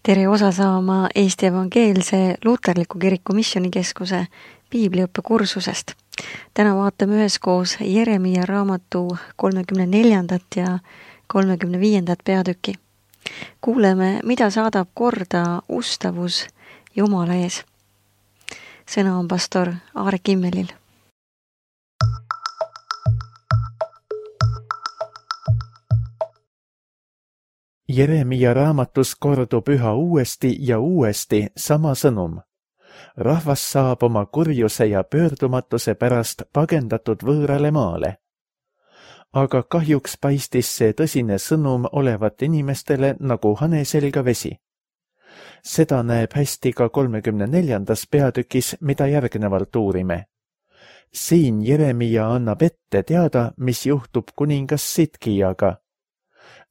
Tere osa saama Eesti Evangeelse Luterliku Kiriku Missioonikeskuse piibliõppe kursusest. Täna vaatame üheskoos Jeremia raamatu 34. ja 35. peatüki. Kuuleme, mida saadab korda ustavus Jumala ees. Sõna on pastor Aare Kimmelil. Jeremia raamatus kordub üha uuesti ja uuesti sama sõnum. Rahvas saab oma kurjuse ja pöördumatuse pärast pagendatud võõrale maale. Aga kahjuks paistis see tõsine sõnum olevat inimestele nagu hane selga vesi. Seda näeb hästi ka 34. peatükis, mida järgnevalt uurime. Siin Jeremia annab ette teada, mis juhtub kuningas Sidkijaga.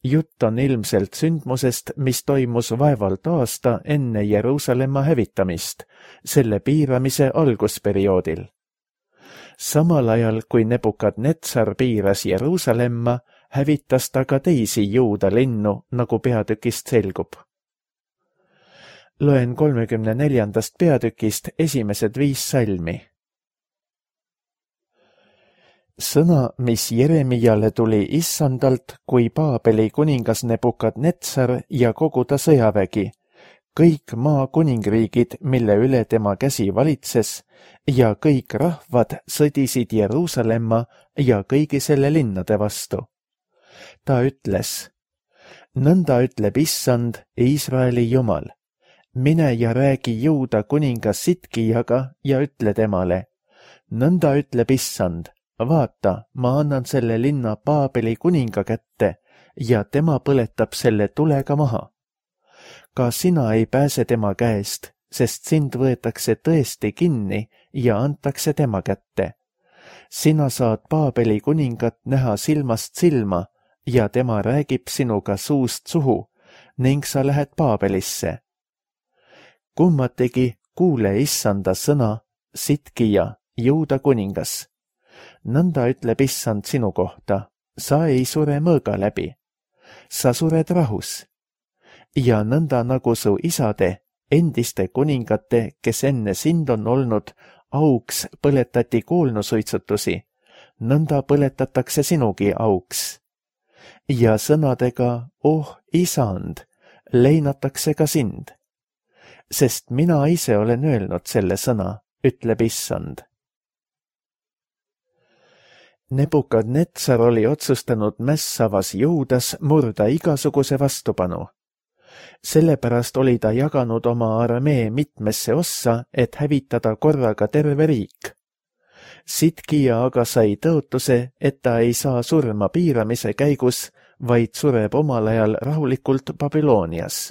Jutt on ilmselt sündmusest, mis toimus vaevalt aasta enne Jeruusalemma hävitamist, selle piiramise algusperioodil. Samal ajal, kui Nebukadnetsar piiras Jeruusalemma, hävitas ta ka teisi Juuda linnu, nagu peatükist selgub. Loen 34. peatükist esimesed 5 salmi. Sõna, mis Jeremiale tuli Issandalt, kui Paabeli kuningas Nebukadnetsar ja kogu ta sõjavägi, kõik maa kuningriigid, mille üle tema käsi valitses, ja kõik rahvad sõdisid Jeruusalemma ja kõigi selle linnade vastu. Ta ütles, nõnda ütleb Issand, Iisraeli Jumal, mine ja räägi Juuda kuningas Sidkijaga ja ütle temale, nõnda ütleb Issand, vaata, ma annan selle linna Paabeli kuninga kätte ja tema põletab selle tulega maha. Ka sina ei pääse tema käest, sest sind võetakse tõesti kinni ja antakse tema kätte. Sina saad Paabeli kuningat näha silmast silma ja tema räägib sinuga suust suhu ning sa lähed Paabelisse. Kummategi kuule Issanda sõna, Sidkija, Juuda kuningas. Nõnda ütleb Issand sinu kohta, sa ei sure mõõga läbi. Sa sured rahus. Ja nõnda nagu su isade, endiste kuningate, kes enne sind on olnud, auks põletati kuulnusuitsutusi, nõnda põletatakse sinugi auks. Ja sõnadega, oh Isand, leinatakse ka sind. Sest mina ise olen öelnud selle sõna, ütleb Issand. Nebukadnetsar oli otsustanud mässavas Juudas murda igasuguse vastupanu. Sellepärast oli ta jaganud oma armee mitmesse ossa, et hävitada korraga terve riik. Sidkija aga sai tõotuse, et ta ei saa surma piiramise käigus, vaid sureb omal ajal rahulikult Babylonias.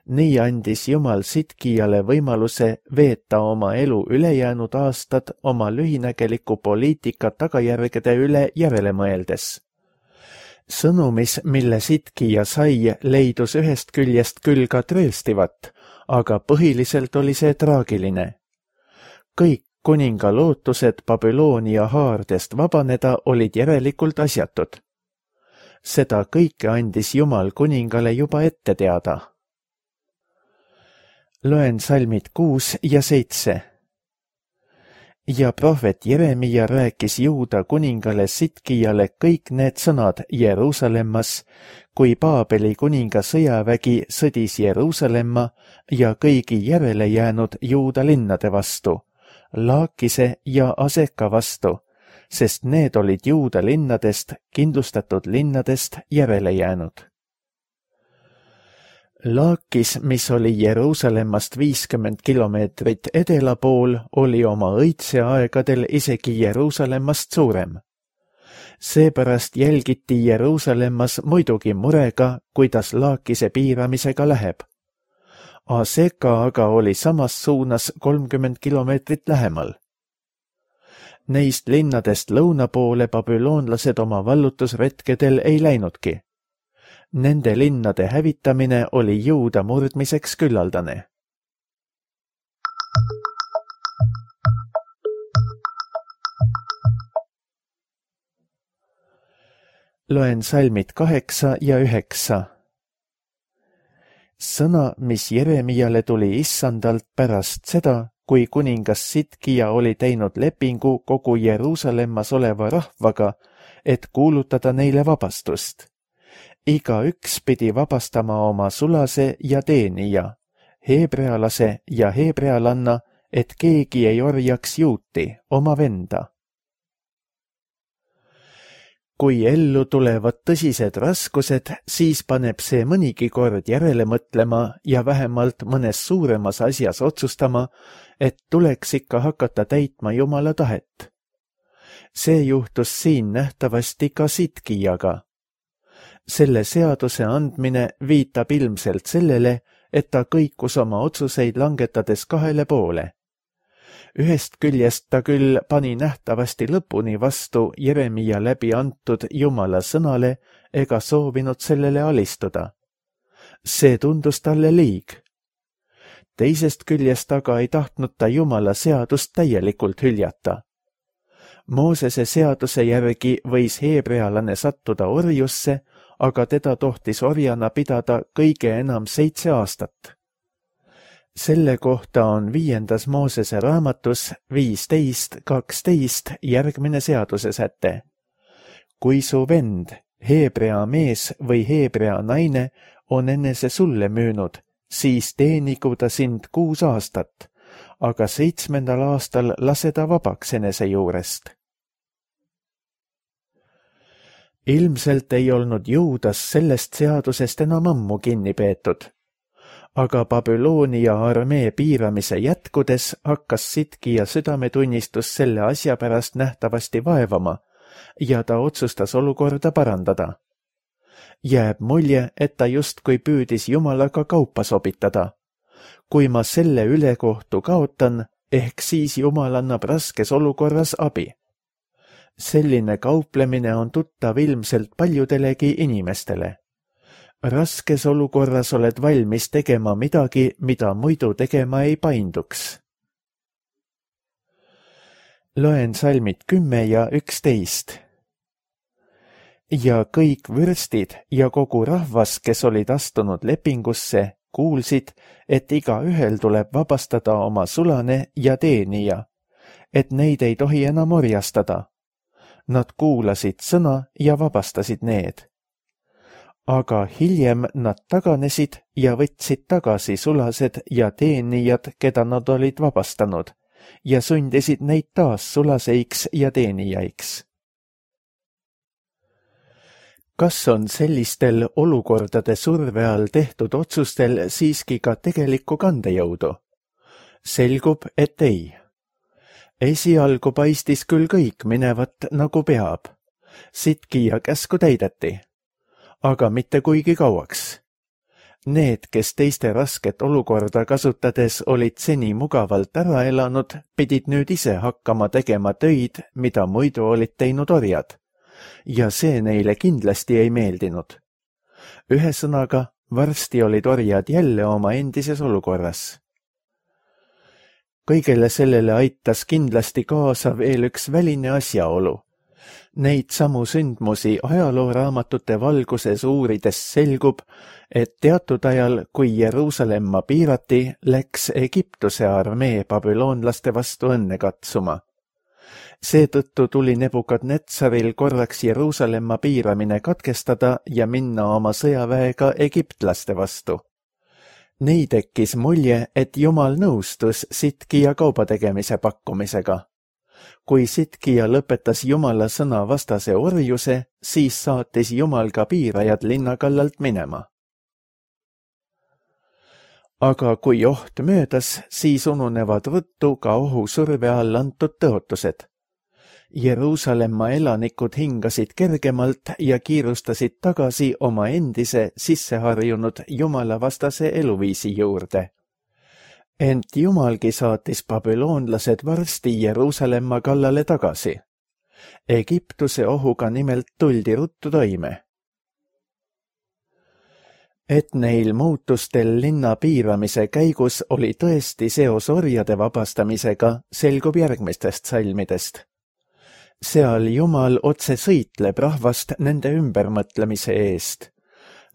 Nii andis Jumal Sidkijale võimaluse veeta oma elu ülejäänud aastad oma lühinägeliku poliitika tagajärgede üle järele mõeldes. Sõnumis, mille Sidkija sai, leidus ühest küljest küll ka trööstivat, aga põhiliselt oli see traagiline. Kõik kuninga lootused Babyloonia haardest vabaneda olid järelikult asjatud. Seda kõike andis Jumal kuningale juba ette teada. Loen salmid 6 ja 7. Ja prohvet Jeremia rääkis Juuda kuningale Sidkijale kõik need sõnad Jeruusalemmas, kui Paabeli kuninga sõjavägi sõdis Jeruusalemma ja kõigi järele jäänud Juuda linnade vastu, Laakise ja Aseka vastu, sest need olid Juuda linnadest, kindlustatud linnadest järele jäänud. Laakis, mis oli Jeruusalemmast 50 kilomeetrit edela pool, oli oma õitseaegadel isegi Jeruusalemmast suurem. Seepärast jälgiti Jeruusalemmas muidugi murega, kuidas Laakise piiramisega läheb. Aseka aga oli samas suunas 30 kilomeetrit lähemal. Neist linnadest lõuna poole babüloonlased oma vallutusretkedel ei läinudki. Nende linnade hävitamine oli Juuda murdmiseks küllaldane. Loen salmid 8 ja 9. sõna, mis Jeremiale tuli issandalt pärast seda, kui kuningas Sidkia oli teinud lepingu kogu Jeruusalemmas oleva rahvaga, et kuulutada neile vabastust. Igaüks pidi vabastama oma sulase ja teenija, heebrealase ja heebrealanna, et keegi ei orjaks juuti, oma venda. Kui ellu tulevad tõsised raskused, siis paneb see mõnigi kord järele mõtlema ja vähemalt mõnes suuremas asjas otsustama, et tuleks ikka hakata täitma Jumala tahet. See juhtus siin nähtavasti ka Sidkiaga. Selle seaduse andmine viitab ilmselt sellele, et ta kõikus oma otsuseid langetades kahele poole. Ühest küljest ta küll pani nähtavasti lõpuni vastu Jeremia läbi antud Jumala sõnale ega soovinud sellele alistuda. See tundus talle liig. Teisest küljest aga ei tahtnud ta Jumala seadust täielikult hüljata. Moosese seaduse järgi võis heebrealane sattuda orjusse, aga teda tohtis orjana pidada kõige enam 7 aastat. Selle kohta on 5. Moosese raamatus 15:12 järgmine seaduse säte. Kui su vend, heebrea mees või heebrea naine on enese sulle müünud, siis teenigu ta sind 6 aastat, aga 7. aastal lase ta vabaks enese juurest. Ilmselt ei olnud Juudas sellest seadusest enam ammu kinni peetud. Aga Babyloonia armee piiramise jätkudes hakkas Sidkia südametunnistus selle asja pärast nähtavasti vaevama ja ta otsustas olukorda parandada. Jääb mulje, et ta justkui püüdis Jumalaga kaupa sobitada. Kui ma selle ülekohtu kaotan, ehk siis Jumal annab raskes olukorras abi. Selline kauplemine on tuttav ilmselt paljudelegi inimestele. Raskes olukorras oled valmis tegema midagi, mida muidu tegema ei painduks. Loen salmid 10 ja 11. Ja kõik vürstid ja kogu rahvas, kes olid astunud lepingusse, kuulsid, et igaühel tuleb vabastada oma sulane ja teenija, et neid ei tohi enam orjastada. Nad kuulasid sõna ja vabastasid need. Aga hiljem nad taganesid ja võtsid tagasi sulased ja teenijad, keda nad olid vabastanud, ja sundisid neid taas sulaseiks ja teenijaiks. Kas on sellistel olukordade surve all tehtud otsustel siiski ka tegelikku kandejõudu? Selgub, et ei. Esialgu paistis küll kõik minevat nagu peab. Sidkia käsku täideti. Aga mitte kuigi kauaks. Need, kes teiste rasket olukorda kasutades olid seni mugavalt ära elanud, pidid nüüd ise hakkama tegema töid, mida muidu olid teinud orjad. Ja see neile kindlasti ei meeldinud. Ühesõnaga, varsti olid orjad jälle oma endises olukorras. Kõigele sellele aitas kindlasti kaasa veel üks väline asjaolu. Neid samu sündmusi ajalooraamatute valguses uurides selgub, et teatud ajal, kui Jeruusalemma piirati, läks Egiptuse armee babüloonlaste vastu õnne katsuma. Seetõttu tuli Nebukadnetsaril korraks Jeruusalemma piiramine katkestada ja minna oma sõjaväega egiptlaste vastu. Nii tekkis mulje, et Jumal nõustus Sidkia kaubategemise pakkumisega. Kui Sidkia lõpetas Jumala sõna vastase orjuse, siis saatis Jumal ka piirajad linna kallalt minema. Aga kui oht möödas, siis ununevad ruttu ka ohusurve all antud tõotused. Jeruusalemma elanikud hingasid kergemalt ja kiirustasid tagasi oma endise sisseharjunud jumalavastase eluviisi juurde. Ent Jumalgi saatis babüloonlased varsti Jeruusalemma kallale tagasi. Egiptuse ohuga nimelt tuldi ruttu toime. Et neil muutustel linna piiramise käigus oli tõesti seos orjade vabastamisega, selgub järgmistest salmidest. Seal Jumal otse sõitleb rahvast nende ümbermõtlemise eest.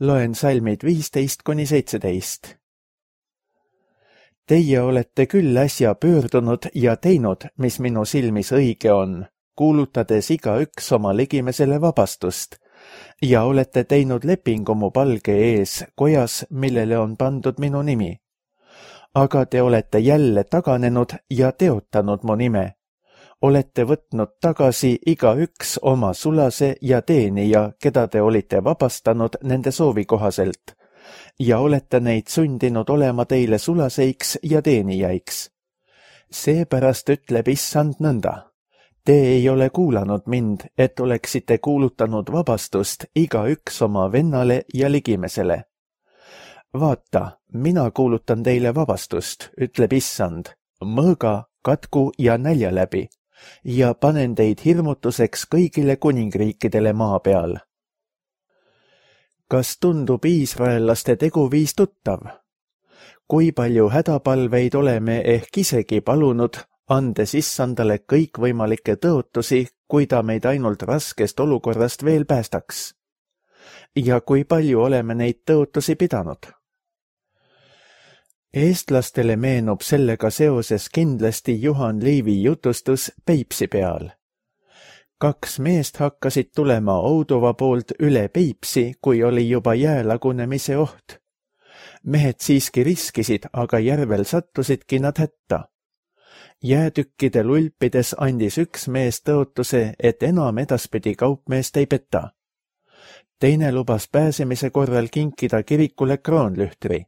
Loen salmid 15–17. Teie olete küll äsja pöördunud ja teinud, mis minu silmis õige on, kuulutades igaüks oma ligimesele vabastust, ja olete teinud lepingu mu palge ees kojas, millele on pandud minu nimi. Aga te olete jälle taganenud ja teotanud mu nime. Olete võtnud tagasi igaüks oma sulase ja teenija, keda te olite vabastanud nende soovi kohaselt, ja olete neid sundinud olema teile sulaseiks ja teenijaiks. Seepärast ütleb Issand nõnda. Te ei ole kuulanud mind, et oleksite kuulutanud vabastust igaüks oma vennale ja ligimesele. Vaata, mina kuulutan teile vabastust, ütleb Issand, mõõga, katku ja nälja läbi, ja panen teid hirmutuseks kõigile kuningriikidele maa peal. Kas tundub iisraellaste teguviis tuttav? Kui palju hädapalveid oleme ehk isegi palunud, andes Issandale kõikvõimalikke tõotusi, kui ta meid ainult raskest olukorrast veel päästaks. Ja kui palju oleme neid tõotusi pidanud? Eestlastele meenub sellega seoses kindlasti Juhan Liivi jutustus Peipsi peal. 2 meest hakkasid tulema Oudova poolt üle Peipsi, kui oli juba jää lagunemise oht. Mehed siiski riskisid, aga järvel sattusidki nad hätta. Jäätükkide lulpides andis üks mees tõotuse, et enam edaspidi kaupmeest ei peta. Teine lubas pääsemise korral kinkida kirikule kroonlühtri.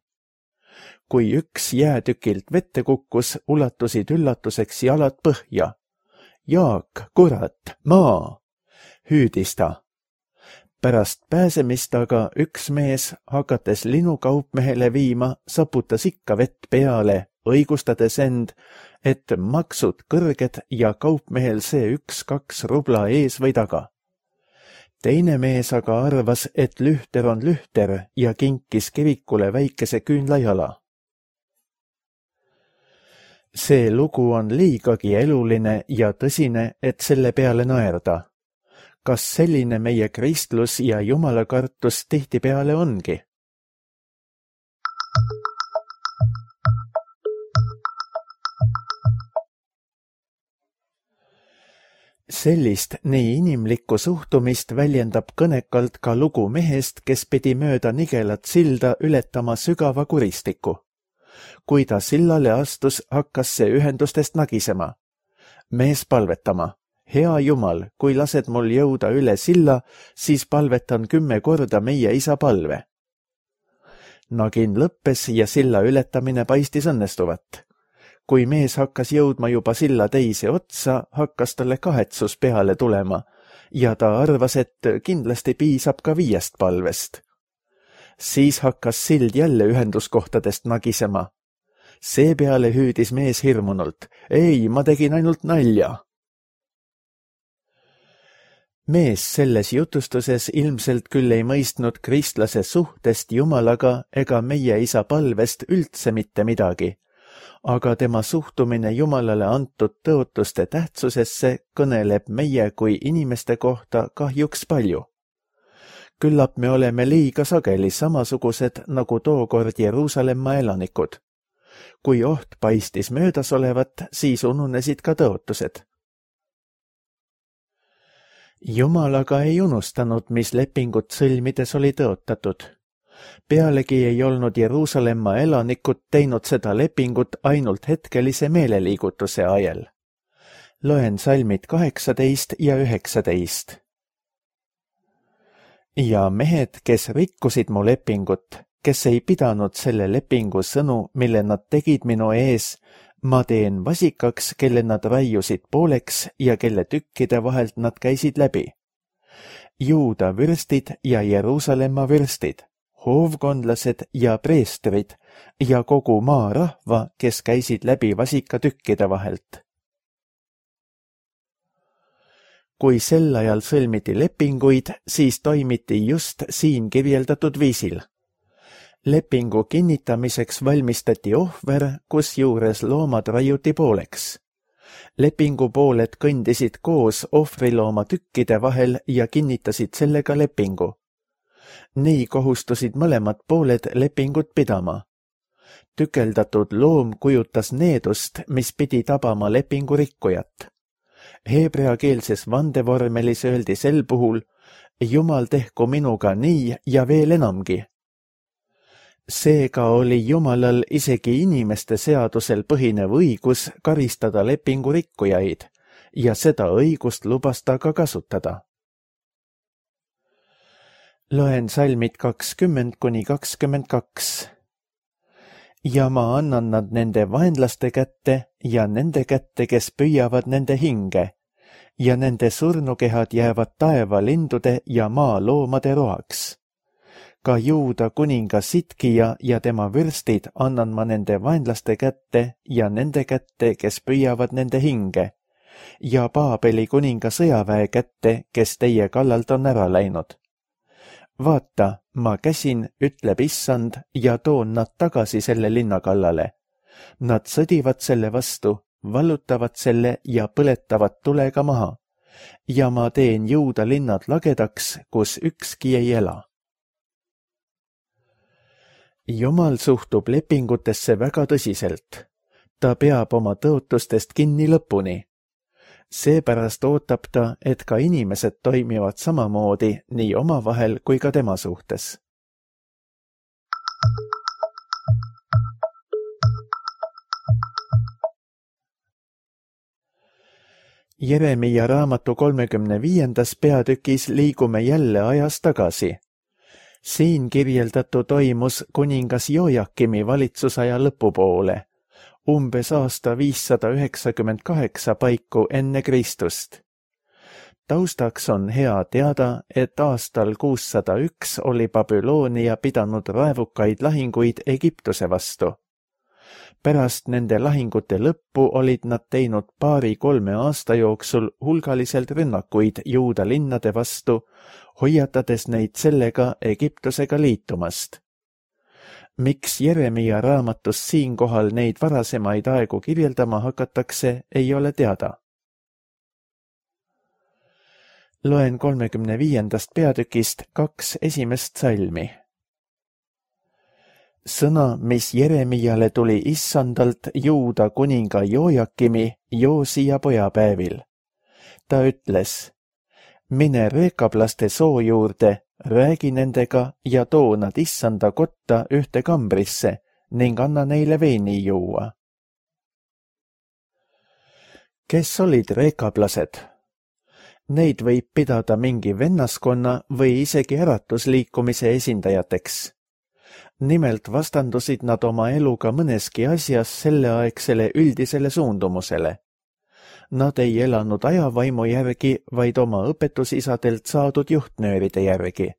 Kui üks jäätükilt vette kukkus, ulatusid üllatuseks jalad põhja. Jaak, kurat, maa! Hüüdis ta. Pärast pääsemist aga üks mees, hakates linukaupmehele viima, saputas ikka vett peale, õigustades end, et maksud kõrged ja kaupmehel see 1-2 rubla ees või taga. Teine mees aga arvas, et lühter on lühter ja kinkis kirikule väikese küünlajala. See lugu on liigagi eluline ja tõsine, et selle peale naerda. Kas selline meie kristlus ja jumalakartus tihtipeale ongi? Sellist nii inimlikku suhtumist väljendab kõnekalt ka lugu mehest, kes pidi mööda nigelat silda ületama sügava kuristiku. Kui ta sillale astus, hakkas see ühendustest nagisema. Mees palvetama. Hea Jumal, kui lased mul jõuda üle silla, siis palvetan 10 korda meie isa palve. Nagin lõppes ja silla ületamine paistis õnnestuvat. Kui mees hakkas jõudma juba silla teise otsa, hakkas talle kahetsus peale tulema ja ta arvas, et kindlasti piisab ka 5 palvest. Siis hakkas sild jälle ühenduskohtadest nagisema. Seepeale hüüdis mees hirmunult. Ei, ma tegin ainult nalja. Mees selles jutustuses ilmselt küll ei mõistnud kristlase suhtest Jumalaga ega meie isa palvest üldse mitte midagi, aga tema suhtumine Jumalale antud tõotuste tähtsusesse kõneleb meie kui inimeste kohta kahjuks palju. Küllap me oleme liiga sageli samasugused nagu tookord Jeruusalemma elanikud. Kui oht paistis möödas olevat, siis ununesid ka tõotused. Jumal aga ei unustanud, mis lepingut sõlmides oli tõotatud. Pealegi ei olnud Jeruusalemma elanikud teinud seda lepingut ainult hetkelise meeleliigutuse ajel. Loen salmid 18 ja 19. Ja mehed, kes rikkusid mu lepingut, kes ei pidanud selle lepingu sõnu, mille nad tegid minu ees, ma teen vasikaks, kelle nad raiusid pooleks ja kelle tükkide vahelt nad käisid läbi. Juuda vürstid ja Jeruusalemma vürstid, hoovkondlased ja preestrid ja kogu maa rahva, kes käisid läbi vasikatükkide vahelt. Kui sel ajal sõlmiti lepinguid, siis toimiti just siin kirjeldatud viisil. Lepingu kinnitamiseks valmistati ohver, kusjuures loomad raiuti pooleks. Lepingu pooled kõndisid koos ohvrilooma tükkide vahel ja kinnitasid sellega lepingu. Nii kohustusid mõlemad pooled lepingut pidama. Tükeldatud loom kujutas needust, mis pidi tabama lepingu rikkujat. Heebreakeelses vandevormelis öeldi sel puhul, Jumal tehku minuga nii ja veel enamgi. Seega oli Jumalal isegi inimeste seadusel põhinev õigus karistada lepingu rikkujaid ja seda õigust lubas ta ka kasutada. Loen salmid 20–22. Ja ma annan nad nende vaenlaste kätte ja nende kätte, kes püüavad nende hinge, ja nende surnukehad jäävad taevalindude ja maaloomade roaks. Ka Juuda kuninga Sitkija ja tema vürstid annan ma nende vaenlaste kätte ja nende kätte, kes püüavad nende hinge, ja Paabeli kuninga sõjaväe kätte, kes teie kallalt on ära läinud. Vaata, ma käsin, ütleb Issand, ja toon nad tagasi selle linna kallale. Nad sõdivad selle vastu, vallutavad selle ja põletavad tulega maha. Ja ma teen Juuda linnad lagedaks, kus ükski ei ela. Jumal suhtub lepingutesse väga tõsiselt. Ta peab oma tõotustest kinni lõpuni. Seepärast ootab ta, et ka inimesed toimivad samamoodi nii omavahel kui ka tema suhtes. Jeremia raamatu 35. peatükis liigume jälle ajas tagasi. Siin kirjeldatu toimus kuningas Jojakimi valitsusaja lõpupoole, umbes aasta 598 paiku enne Kristust. Taustaks on hea teada, et aastal 601 oli Babyloonia pidanud raevukaid lahinguid Egiptuse vastu. Pärast nende lahingute lõppu olid nad teinud 2–3 aasta jooksul hulgaliselt rünnakuid Juuda linnade vastu, hoiatades neid sellega Egiptusega liitumast. Miks Jeremia raamatus siinkohal neid varasemaid aegu kirjeldama hakatakse, ei ole teada. Loen 35. peatükist 2 esimest salmi. Sõna, mis Jeremiale tuli Issandalt Juuda kuninga Jojakimi Joosia pojapäevil. Ta ütles, mine reekablaste soo juurde, räägi nendega ja too nad Issanda kotta ühte kambrisse ning anna neile veini juua. Kes olid reekablased? Neid võib pidada mingi vennaskonna või isegi äratusliikumise esindajateks. Nimelt vastandusid nad oma eluga mõneski asjas selleaegsele üldisele suundumusele. Nad ei elanud ajavaimu järgi, vaid oma õpetusisadelt saadud juhtnööride järgi.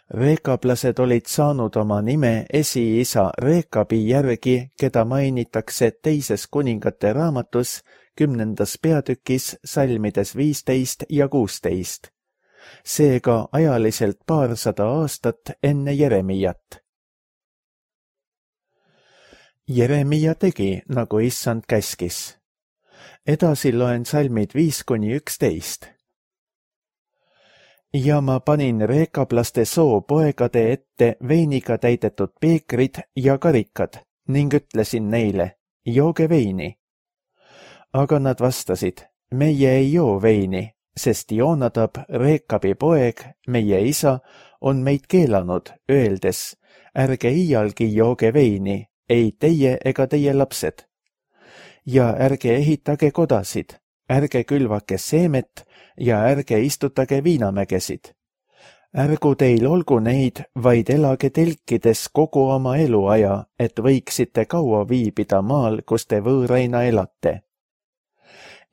Reekablased olid saanud oma nime esiisa Reekabi järgi, keda mainitakse 2. kuningate raamatus 10. peatükis salmides 15 ja 16. Seega ajaliselt 200 aastat enne Jeremiat. Jeremia tegi, nagu Issand käskis. Edasi loen salmid 5–11. Ja ma panin reekablaste soo poegade ette veiniga täidetud peekrid ja karikad ning ütlesin neile, jooge veini. Aga nad vastasid, meie ei joo veini, sest Joonadab, Reekabi poeg, meie isa, on meid keelanud, öeldes, ärge iialgi jooge veini, ei teie ega teie lapsed. Ja ärge ehitage kodasid, ärge külvake seemet ja ärge istutage viinamägesid. Ärgu teil olgu neid, vaid elage telkides kogu oma eluaja, et võiksite kaua viibida maal, kus te võõraina elate.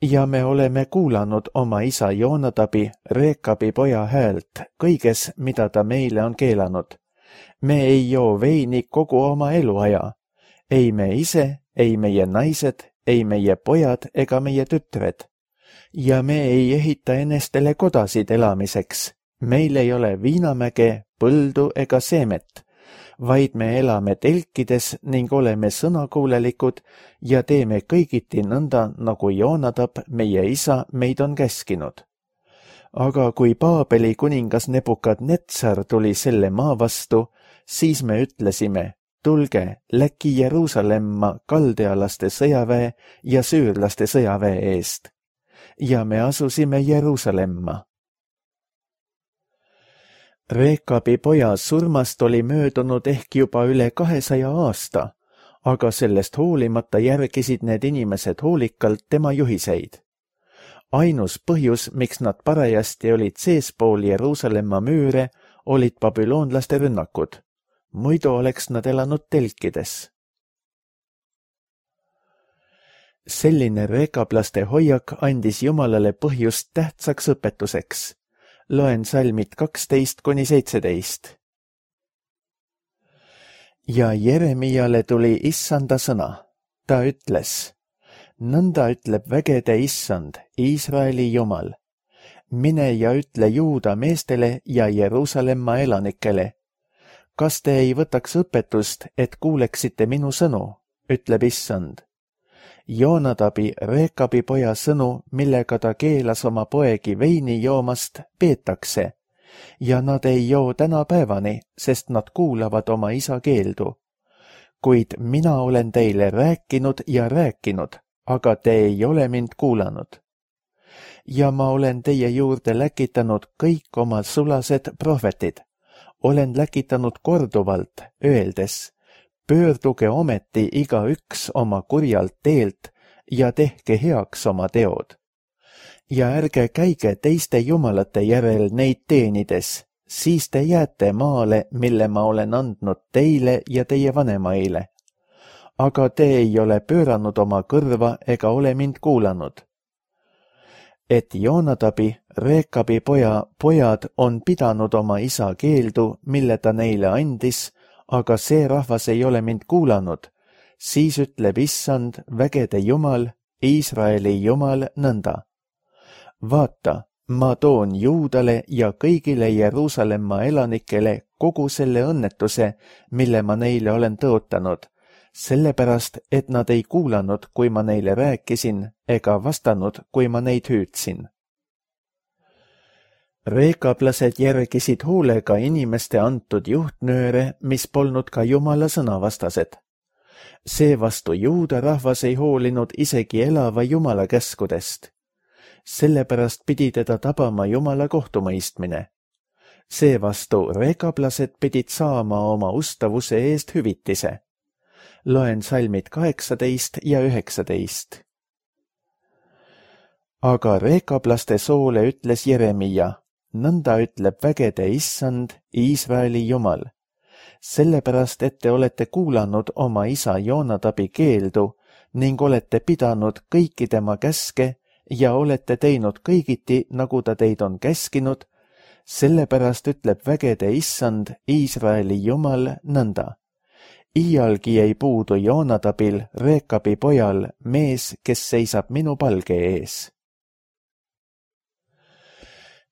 Ja me oleme kuulanud oma isa Joonadabi, Reekabi poja häält, kõiges, mida ta meile on keelanud. Me ei joo veini kogu oma eluaja. Ei me ise, ei meie naised, ei meie pojad ega meie tütred. Ja me ei ehita enestele kodasid elamiseks. Meil ei ole viinamäge, põldu ega seemet, vaid me elame telkides ning oleme sõnakuulelikud ja teeme kõigiti nõnda, nagu Joonadab, meie isa, meid on käskinud. Aga kui Paabeli kuningas Nebukadnetsar tuli selle maa vastu, siis me ütlesime, tulge, läki Jeruusalemma kaldealaste sõjaväe ja süürlaste sõjaväe eest. Ja me asusime Jeruusalemma. Rekabi poja surmast oli möödunud ehk juba üle 200 aasta, aga sellest hoolimata järgisid need inimesed hoolikalt tema juhiseid. Ainus põhjus, miks nad parajasti olid seespool Jeruusalemma müüre, olid babüloonlaste rünnakud. Muidu oleks nad elanud telkides. Selline rekablaste hoiak andis Jumalale põhjust tähtsaks õpetuseks. Loen salmid 12–17. Ja Jeremiale tuli Issanda sõna. Ta ütles, nõnda ütleb vägede Issand, Iisraeli Jumal. Mine ja ütle Juuda meestele ja Jeruusalemma elanikele. Kas te ei võtaks õpetust, et kuuleksite minu sõnu, ütleb Issand. Joonadabi, Rekabi poja sõnu, millega ta keelas oma poegi veini joomast, peetakse, ja nad ei joo tänapäevani, sest nad kuulavad oma isa keeldu. Kuid mina olen teile rääkinud ja rääkinud, aga te ei ole mind kuulanud. Ja ma olen teie juurde läkitanud kõik oma sulased prohvetid. Olen läkitanud korduvalt, öeldes, pöörduge ometi igaüks oma kurjalt teelt ja tehke heaks oma teod. Ja ärge käige teiste jumalate järel neid teenides, siis te jääte maale, mille ma olen andnud teile ja teie vanemaile. Aga te ei ole pööranud oma kõrva ega ole mind kuulanud. Et Joonadabi, Rekabi pojad on pidanud oma isa keeldu, mille ta neile andis, aga see rahvas ei ole mind kuulanud, siis ütleb Issand, vägede Jumal, Iisraeli Jumal nõnda. Vaata, ma toon Juudale ja kõigile Jeruusalemma elanikele kogu selle õnnetuse, mille ma neile olen tõotanud, sellepärast, et nad ei kuulanud, kui ma neile rääkisin, ega vastanud, kui ma neid hüüdsin. Rekablased järgisid hoolega inimeste antud juhtnööre, mis polnud ka Jumala sõnavastased. Seevastu Juuda rahvas ei hoolinud isegi elava Jumala käskudest. Sellepärast pidi teda tabama Jumala kohtumõistmine. Seevastu rekablased pidid saama oma ustavuse eest hüvitise. Loen salmid 18 ja 19. Aga rekablaste soole ütles Jeremia, nõnda ütleb vägede Issand, Iisraeli Jumal. Sellepärast, et te olete kuulanud oma isa Joonadabi keeldu ning olete pidanud kõiki tema käske ja olete teinud kõigiti, nagu ta teid on käskinud, sellepärast ütleb vägede Issand, Iisraeli Jumal nõnda. Iialgi ei puudu Joonadabil, Rekabi pojal, mees, kes seisab minu palge ees.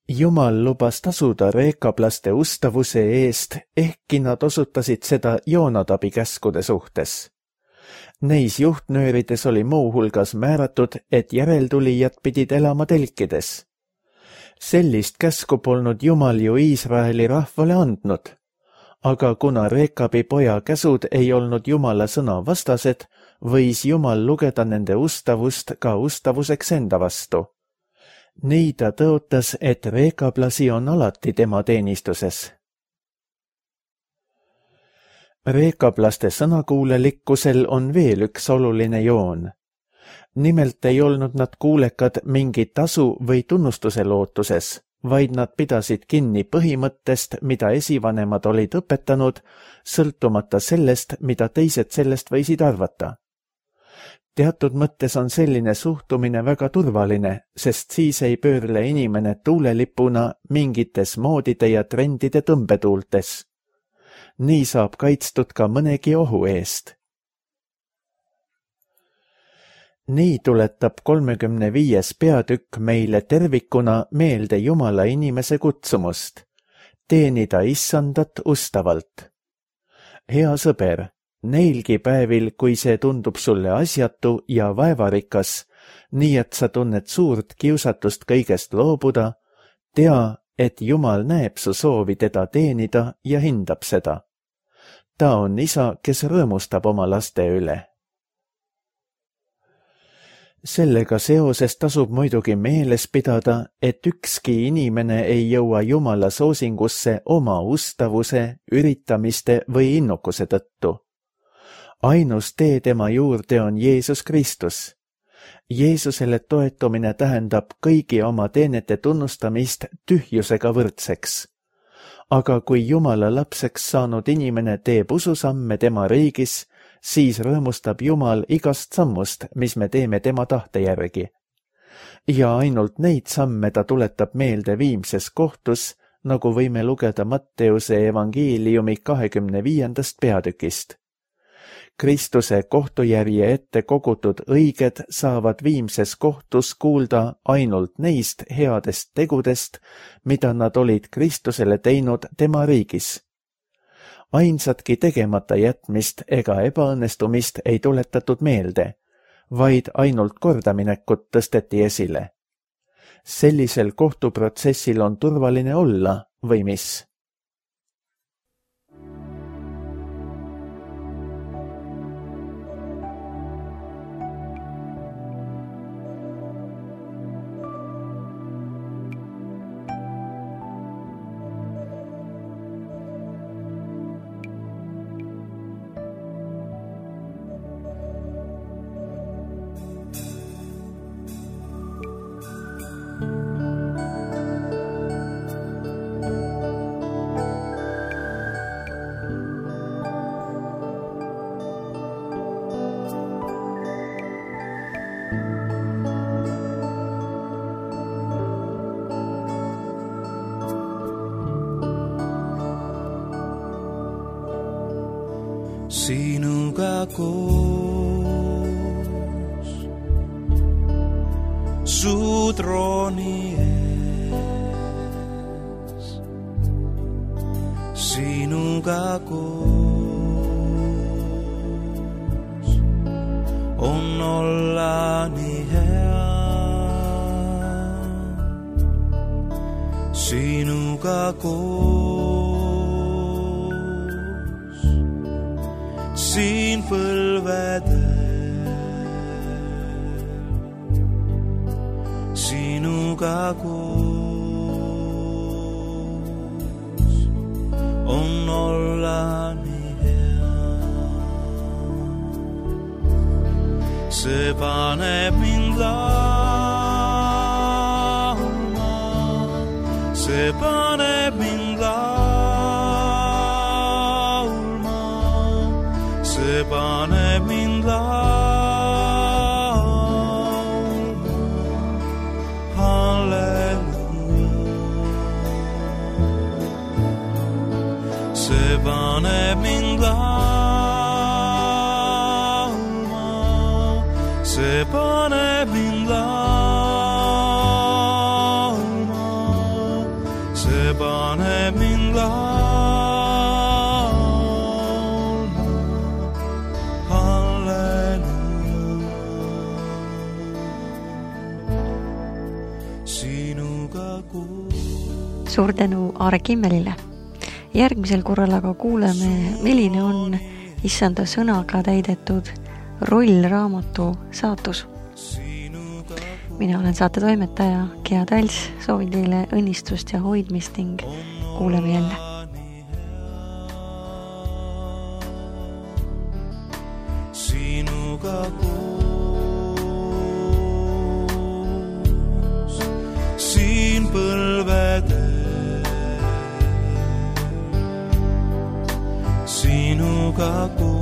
Jumal lubas tasuda rekablaste ustavuse eest, ehkki nad osutasid seda Joonadabi käskude suhtes. Neis juhtnöörides oli muuhulgas määratud, et järeltulijad pidid elama telkides. Sellist käsku polnud Jumal ju Iisraeli rahvale andnud, aga kuna Rekabi poja käsud ei olnud Jumala sõna vastased, võis Jumal lugeda nende ustavust ka ustavuseks enda vastu. Nii ta tõotas, et rekablasi on alati tema teenistuses. Rekablaste sõnakuulelikkusel on veel üks oluline joon. Nimelt ei olnud nad kuulekad mingi tasu või tunnustuse lootuses, vaid nad pidasid kinni põhimõttest, mida esivanemad olid õpetanud, sõltumata sellest, mida teised sellest võisid arvata. Teatud mõttes on selline suhtumine väga turvaline, sest siis ei pöörle inimene tuulelipuna mingites moodide ja trendide tõmbetuultes. Nii saab kaitstud ka mõnegi ohu eest. Nii tuletab 35. peatükk meile tervikuna meelde Jumala inimese kutsumust, teenida Issandat ustavalt. Hea sõber, neilgi päevil, kui see tundub sulle asjatu ja vaevarikas, nii et sa tunned suurt kiusatust kõigest loobuda, Tea, et Jumal näeb su soovi teda teenida ja hindab seda. Ta on isa, kes rõõmustab oma laste üle. Sellega seoses tasub muidugi meeles pidada, et ükski inimene ei jõua Jumala soosingusse oma ustavuse, üritamiste või innukuse tõttu. Ainus tee tema juurde on Jeesus Kristus. Jeesusele toetumine tähendab kõigi oma teenete tunnustamist tühjusega võrdseks. Aga kui Jumala lapseks saanud inimene teeb ususamme tema riigis, siis rõõmustab Jumal igast sammust, mis me teeme tema tahte järgi. Ja ainult neid samme ta tuletab meelde viimses kohtus, nagu võime lugeda Matteuse evangeeliumi 25. peatükist. Kristuse kohtujärje ette kogutud õiged saavad viimses kohtus kuulda ainult neist headest tegudest, mida nad olid Kristusele teinud tema riigis. Ainsatki tegemata jätmist ega ebaõnnestumist ei tuletatud meelde, vaid ainult kordaminekut tõsteti esile. Sellisel kohtuprotsessil on turvaline olla või mis? Sinuga koos su trooni ees, sinuga koos on olla nii hea, sinuga koos siin põlvedel, sinuga koos on olla nii hea. See paneb mind laulma, see paneb mind laulma, see paneb mind laulma, halleluuja. See paneb mind laulma, see paneb mind laulma, see paneb mind laulma. Suur tänu Aare Kimmelile. Järgmisel korral aga kuuleme, milline on Issanda sõnaga täidetud rollraamatu saatus. Mina olen saate toimetaja Gea Tals, soovin teile õnnistust ja hoidmist ning kuuleme jälle. Sinuga koos siin põlvedel, sinuga koos